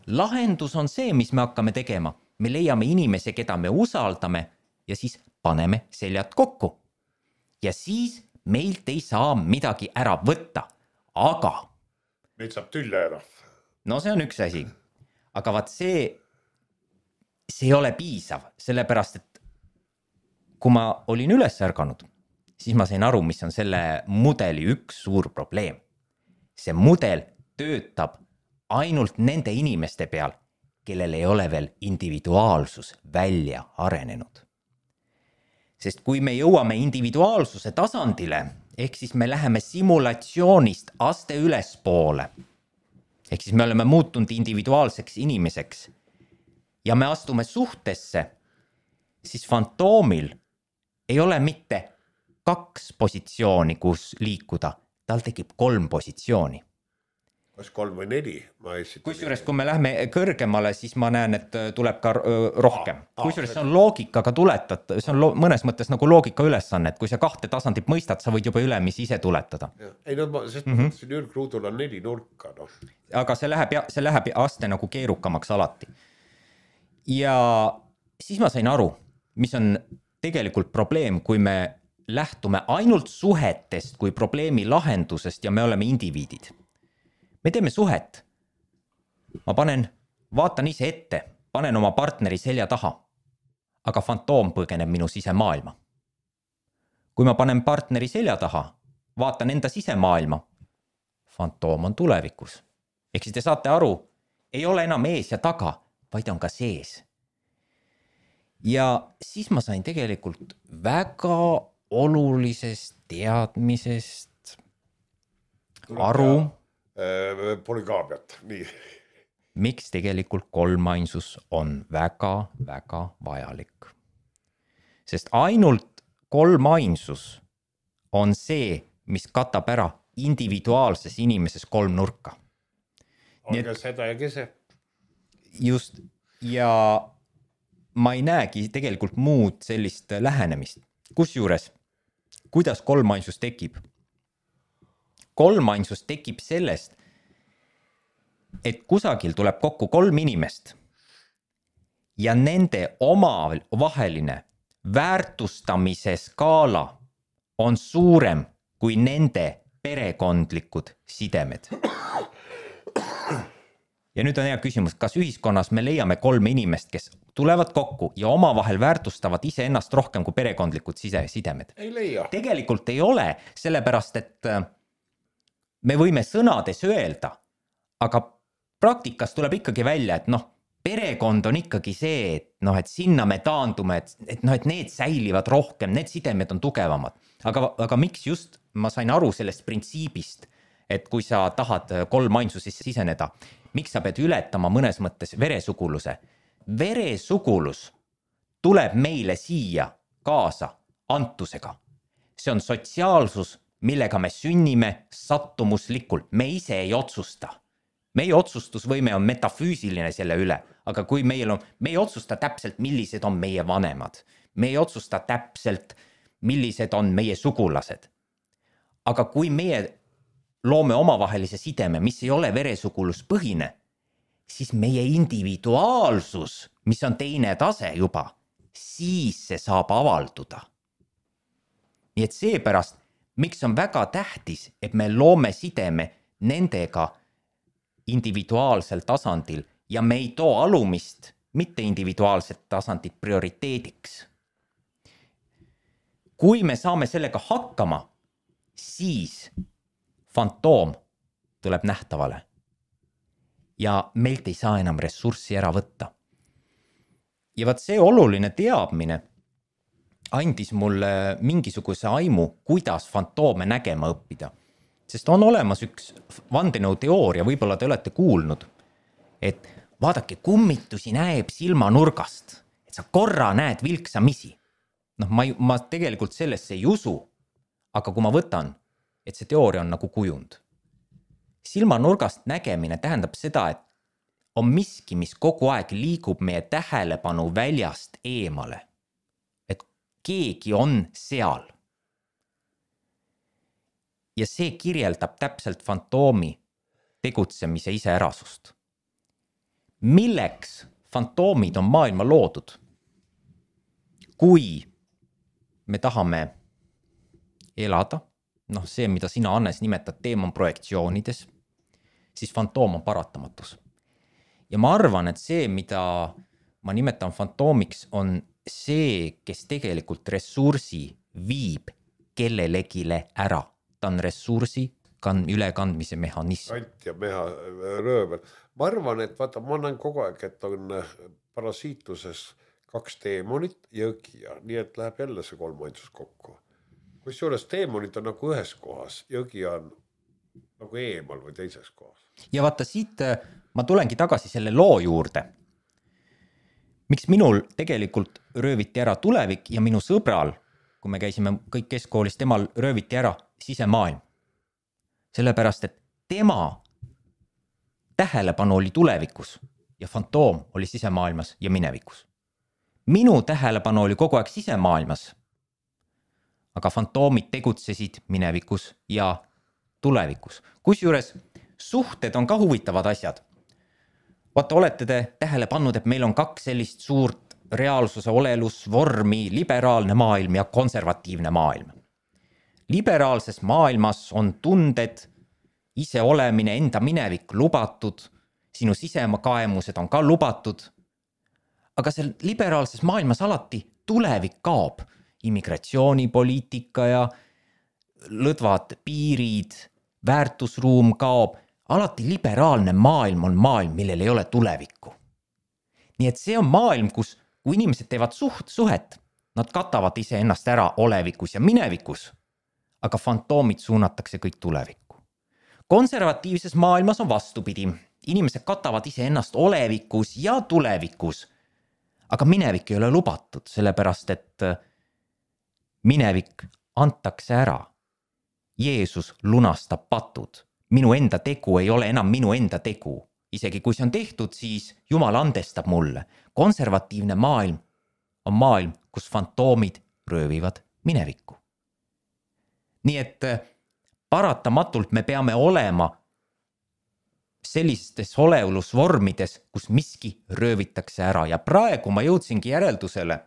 Lahendus on see, mis me hakkame tegema. Me leiame inimese, keda me usaldame ja siis paneme seljad kokku. Ja siis meilt ei saa midagi ära võtta. Aga meid saab tülle ära. No see on üks asi. Aga vaat see ei ole piisav, sellepärast et kui ma olin üles ärganud, siis ma sain aru, mis on selle mudeli üks suur probleem. See mudel töötab ainult nende inimeste peal, kellel ei ole veel individuaalsus välja arenenud. Sest kui me jõuame individuaalsuse tasandile, ehk siis me läheme simulatsioonist aste ülespoole, ehk siis me oleme muutunud individuaalseks inimeseks ja me astume suhtesse, siis fantoomil ei ole mitte 2 positsiooni, kus liikuda, tal tekib 3 positsiooni. Kas 3 või 4? Kusjuures, kui me lähme kõrgemale, siis ma näen, et tuleb ka rohkem. Kusjuures see on loogikaga tuletada, see on mõnes mõttes nagu loogika ülesanne, et kui sa 2 tasandit mõistad, sa võid juba ülemisi ise tuletada. Ei no, sest mõtlesin ülgruudul on 4 nurka. No. Aga see läheb aste nagu keerukamaks alati. Ja siis ma sain aru, mis on tegelikult probleem, kui me lähtume ainult suhetest kui probleemi lahendusest ja me oleme indiviidid. Me teeme suhet. Ma vaatan ise ette, panen oma partneri selja taha, aga fantoom põgeneb minu sisemaailma. Kui ma panen partneri selja taha, vaatan enda sisemaailma, fantoom on tulevikus. Ehk siis te saate aru, ei ole enam ees ja taga, vaid on ka sees. Ja siis ma sain tegelikult väga olulisest teadmisest aru, polügaamiat, nii. Miks tegelikult kolmainsus on väga, väga vajalik. Sest ainult kolmainsus on see, mis katab ära individuaalses inimeses 3 nurka. Aga seda ja kese. Just, ja ma ei näegi tegelikult muud sellist lähenemist. Kusjuures, kuidas kolmainsus tekib? Kolmainsus tekib sellest, et kusagil tuleb kokku 3 inimest ja nende omavaheline väärtustamise skaala on suurem kui nende perekondlikud sidemed. Ja nüüd on hea küsimus, kas ühiskonnas me leiame 3 inimest, kes tulevad kokku ja omavahel väärtustavad iseennast rohkem kui perekondlikud sidemed? Ei leia. Tegelikult ei ole, sellepärast et me võime sõnades öelda, aga praktikas tuleb ikkagi välja, et perekond on ikkagi see, et sinna me taandume, et need säilivad rohkem, need sidemed on tugevamad. Aga miks just ma sain aru sellest printsiibist, et kui sa tahad kolmainsusesse siseneda, miks sa pead ületama mõnes mõttes veresuguluse? Veresugulus tuleb meile siia kaasa antusega. See on sotsiaalsus, millega me sünnime sattumuslikult. Me ise ei otsusta. Meie otsustusvõime on metafüüsiline selle üle, aga kui me ei otsusta täpselt, millised on meie vanemad. Me ei otsusta täpselt, millised on meie sugulased. Aga kui meie loome omavahelise sideme, mis ei ole veresuguluspõhine, siis meie individuaalsus, mis on teine tase juba, siis see saab avalduda. Nii et seepärast, miks on väga tähtis, et me loome sideme nendega individuaalsel tasandil ja me ei too alumist, mitte individuaalset tasandit prioriteediks. Kui me saame sellega hakkama, siis fantoom tuleb nähtavale ja meilt ei saa enam ressurssi ära võtta. Ja vaat see oluline teadmine andis mulle mingisuguse aimu, kuidas fantoome nägema õppida. Sest on olemas üks vandenõuteooria, võib-olla te olete kuulnud, et vaadake, kummitusi näeb silmanurgast, et sa korra näed vilksamisi. Ma tegelikult sellesse ei usu, aga kui ma võtan, et see teooria on nagu kujund, silmanurgast nägemine tähendab seda, et on miski, mis kogu aeg liigub meie tähelepanu väljast eemale. Et keegi on seal. Ja see kirjeldab täpselt fantoomi tegutsemise iseärasust. Milleks fantoomid on maailma loodud? Kui me tahame elada, see, mida sina, Hannes, nimetad teemonprojektsioonides, siis fantoom on paratamatus. Ja ma arvan, et see, mida ma nimetan fantoomiks, on see, kes tegelikult ressursi viib kellelegile ära. Ta on ressursi ülekandmise mehhanism. Ant ja röövel. Ma arvan, et vaata, ma näen kogu aeg, et on parasiituses 2 teemonit, jõgi, nii et läheb jälle see 3 ainsus kokku. Kusjuures teemonid on nagu ühes kohas, jõgi on nagu eemal või teises kohas. Ja vaata, siit ma tulengi tagasi selle loo juurde. Miks minul tegelikult rööviti ära tulevik ja minu sõbral, kui me käisime kõik keskkoolis, temal rööviti ära sisemaailm. Sellepärast, et tema tähelepanu oli tulevikus ja fantoom oli sisemaailmas ja minevikus. Minu tähelepanu oli kogu aeg sisemaailmas, aga fantoomid tegutsesid minevikus ja tulevikus. Kusjuures suhted on ka huvitavad asjad. Vaata, olete te tähele pannud, et meil on 2 sellist suurt reaalsuse olelusvormi, liberaalne maailm ja konservatiivne maailm. Liberaalses maailmas on tunded, ise olemine, enda minevik lubatud, sinu sisekaemused on ka lubatud, aga seal liberaalses maailmas alati tulevik kaob. Immigratsioonipoliitika ja lõdvad piirid, väärtusruum kaob. Alati liberaalne maailm on maailm, millel ei ole tulevikku. Nii et see on maailm, kus kui inimesed teevad suhet, nad katavad ise ennast ära olevikus ja minevikus, aga fantoomid suunatakse kõik tulevikku. Konservatiivses maailmas on vastupidi. Inimesed katavad ise ennast olevikus ja tulevikus, aga minevik ei ole lubatud, sellepärast et minevik antakse ära. Jeesus lunastab patud. Minu enda tegu ei ole enam minu enda tegu. Isegi kui see on tehtud, siis Jumal andestab mulle. Konservatiivne maailm on maailm, kus fantoomid röövivad minevikku. Nii et paratamatult me peame olema sellistes olelusvormides, kus miski röövitakse ära. Ja praegu ma jõudsingi järeldusele,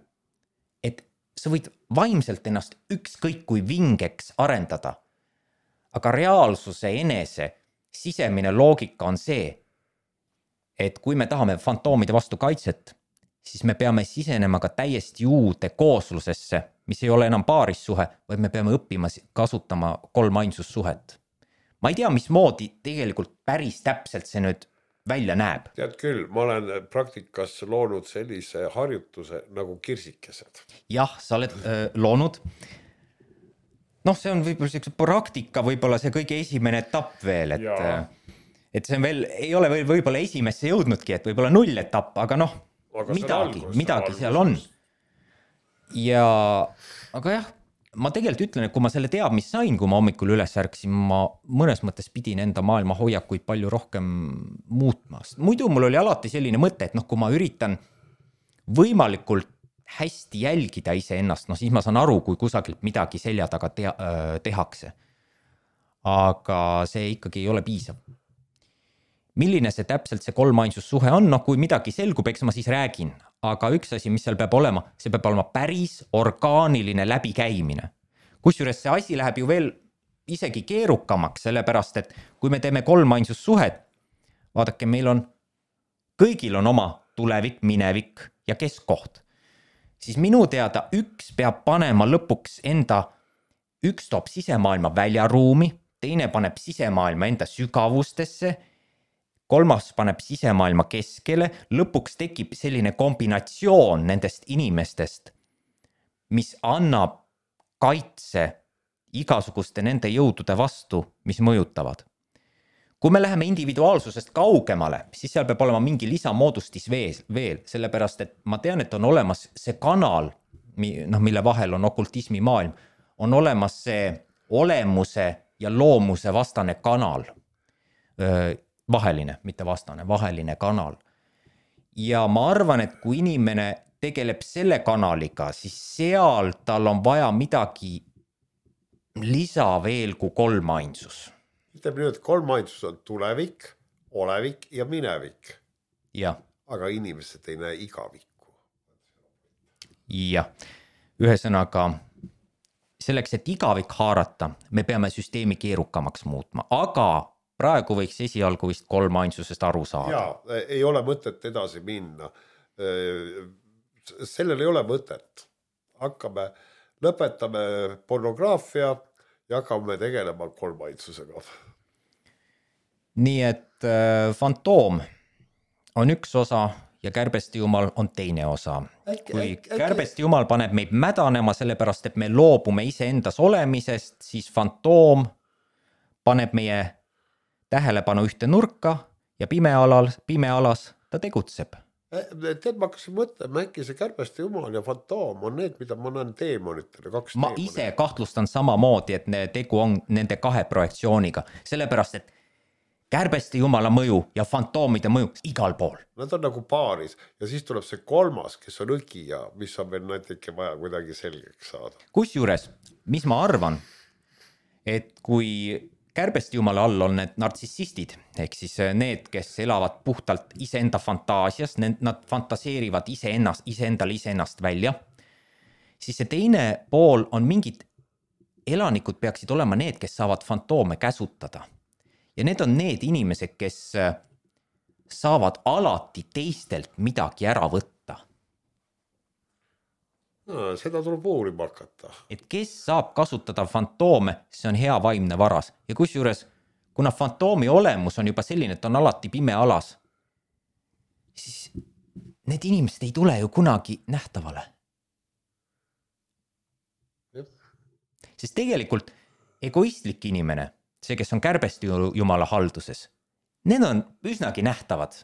et sa võid vaimselt ennast ükskõik kui vingeks arendada. Aga reaalsuse enese sisemine loogika on see, et kui me tahame fantoomide vastu kaitset, siis me peame sisenema ka täiesti uude kooslusesse, mis ei ole enam paarissuhe, vaid me peame õppima kasutama 3 ainsussuhet. Ma ei tea, mismoodi tegelikult päris täpselt see nüüd välja näeb. Tead küll, ma olen praktikas loonud sellise harjutuse nagu kirsikesed. Jah, sa oled loonud. See on võib-olla selline praktika, võib-olla see kõige esimene etapp veel, et see on veel, ei ole võib-olla esimesse jõudnudki, et võib-olla 0 etapp, aga midagi seal on. Aga jah, ma tegelikult ütlen, et kui ma selle teadmist sain, kui ma hommikul üles ärksin, ma mõnes mõttes pidin enda maailma hoiakuid palju rohkem muutma. Muidu mul oli alati selline mõte, et kui ma üritan võimalikult hästi jälgida ise ennast, siis ma saan aru, kui kusagilt midagi selja taga tehakse. Aga see ikkagi ei ole piisav. Milline see täpselt see 3 ainsussuhe on? Kui midagi selgub, eks ma siis räägin. Aga üks asi, mis seal peab olema, see peab olema päris orgaaniline läbikäimine. Kusjuures see asi läheb ju veel isegi keerukamaks, sellepärast, et kui me teeme 3 ainsussuhet, vaadake, meil on, kõigil on oma tulevik, minevik ja keskkoht. Siis minu teada üks peab panema lõpuks üks toob sisemaailma väljaruumi, teine paneb sisemaailma enda sügavustesse, 3 paneb sisemaailma keskele, lõpuks tekib selline kombinatsioon nendest inimestest, mis annab kaitse igasuguste nende jõudude vastu, mis mõjutavad. Kui me läheme individuaalsusest kaugemale, siis seal peab olema mingi lisamoodustis veel, sellepärast, et ma tean, et on olemas see kanal, mille vahel on okultismi maailm, on olemas see olemuse ja loomuse vastane kanal. Vaheline, mitte vastane, vaheline kanal. Ja ma arvan, et kui inimene tegeleb selle kanaliga, siis seal tal on vaja midagi lisa veel kui kolmainsus. Ütleme nüüd, et kolmainsus on tulevik, olevik ja minevik. Jah. Aga inimesed ei näe igavikku. Jah. Ühesõnaga, selleks, et igavik haarata, me peame süsteemi keerukamaks muutma, aga praegu võiks esialgu vist kolmainsusest aru saada. Jaa, ei ole mõtet edasi minna. Sellel ei ole mõtet. Lõpetame pornograafia ja hakkame tegelema kolmainsusega. Nii et fantoom on üks osa ja kärbeste jumal on teine osa. Kui kärbeste jumal paneb meid mädanema sellepärast, et me loobume iseendas olemisest, siis fantoom paneb meie tähelepanu ühte nurka ja pimealas ta tegutseb. Tead, ma hakkasin mõtlema, äkki see kärbeste jumal ja fantoom on need, mida ma näen teemonitele, kaks ma teemonit. Ise kahtlustan samamoodi, et tegu on nende kahe projektsiooniga, sellepärast, et kärbeste jumala mõju ja fantoomide mõju igal pool. Nad on nagu paaris ja siis tuleb see kolmas, kes on õgija, mis on veel natuke vaja kuidagi selgeks saada. Kusjuures, mis ma arvan, et kui kärbeste jumala all on need nartsissistid, ehk siis need, kes elavad puhtalt iseenda fantaasias, nad fantaseerivad iseennast välja, siis see teine pool on mingid elanikud peaksid olema need, kes saavad fantoome käsutada. Ja need on need inimesed, kes saavad alati teistelt midagi ära võtta. No, seda tuleb uurima hakata. Et kes saab kasutada fantoome, see on hea vaimne varas. Ja kusjuures, kuna fantoomi olemus on juba selline, et on alati pime alas, siis need inimesed ei tule ju kunagi nähtavale. Sest tegelikult egoistlik inimene, see, kes on kärbeste jumala halduses, need on üsnagi nähtavad.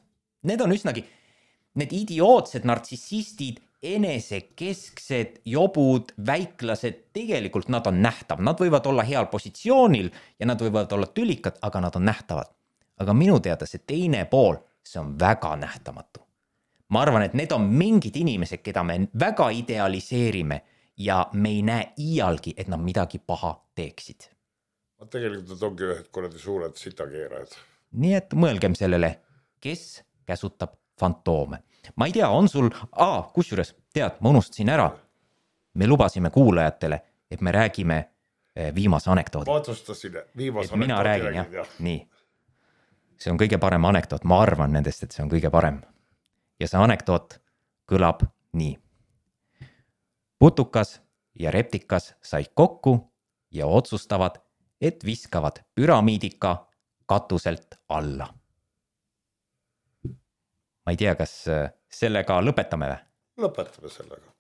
Need on üsnagi, need idiootsed nartsissistid, enesekesksed, jobud, väiklased, tegelikult nad on nähtav. Nad võivad olla heal positsioonil ja nad võivad olla tülikad, aga nad on nähtavad. Aga minu teada see teine pool, see on väga nähtamatu. Ma arvan, et need on mingid inimesed, keda me väga idealiseerime ja me ei näe iialgi, et nad midagi paha teeksid. Tegelikult nad ongi ühed kuradi suured sitakeerajad. Nii et mõelgem sellele, kes käsutab fantoome. Ma ei tea, on sul... kusjuures, tead, ma unustasin ära. Me lubasime kuulajatele, et me räägime viimase anekdoodi. Ma otsustasin viimase anekdoodi. Mina räägin, jah. Nii. See on kõige parem anekdoot. Ma arvan nendest, et see on kõige parem. Ja see anekdoot kõlab nii. Putukas ja reptikas said kokku ja otsustavad, et viskavad püramiidika katuselt alla. Ma ei tea, kas sellega lõpetame või? Lõpetame sellega.